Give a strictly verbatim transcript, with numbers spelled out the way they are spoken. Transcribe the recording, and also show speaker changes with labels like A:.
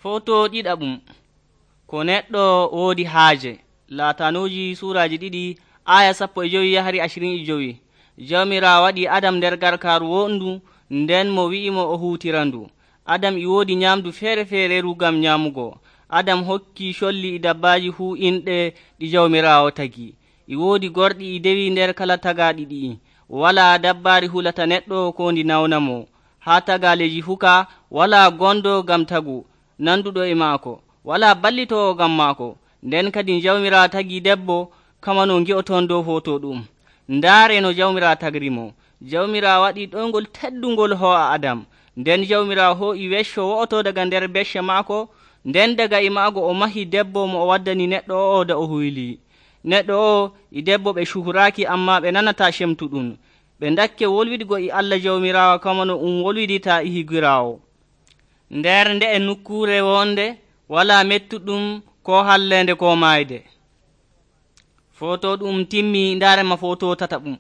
A: Foto ɗiɗaɓum ko neɗɗo woodi haaje. Laatanuuji suuraji ɗiɗi aya sappo e jowi yahari ashirin e jowi. Jawmirawo waɗi Adam nder garkaaru wondu, nden mo wi'imo o huutirandu. Adam e woodi nyamdu feere feereru ngam nyaamugo. Adam hokki colli e dabbaaji fuu inɗe ɗi Jawmirawo tagi. E woodi gorɗi e dewi nder kala tagaaɗi ɗi'i. Walaa dabbaari hulata neɗɗo ko ndi nawnamo. Haa tagaaleji fuu ka walaa gondo ngam tagu nanduɗo e maako, walaa ballitowo ngam maako. Nden kadi Jawmirawo tagi debbo kamano ngi'oton dow foto ɗum. Ndaare no Jawmirawo tagrimo. Jawmirawo waɗi ɗoyngol teddungol ho'a Adam. Nden Jawmirawo ho'i wecco wo'oto daga nder becce maako. Nden daga e maago o mahi debbo mo o waddani neɗɗo o da o huylii. Neɗɗo o e debbo ɓe cuhuraaki, amma ɓe nanata cemtuɗum. Ɓe dakke wolwidigo e Allah Jawmirawo kamano um wolwidita e higiraawo. Nder nde e nokkuure wonde walaa mettuɗum ko hallende ko maayde. Foto ɗum timmi, ndaarema foto tataɓum.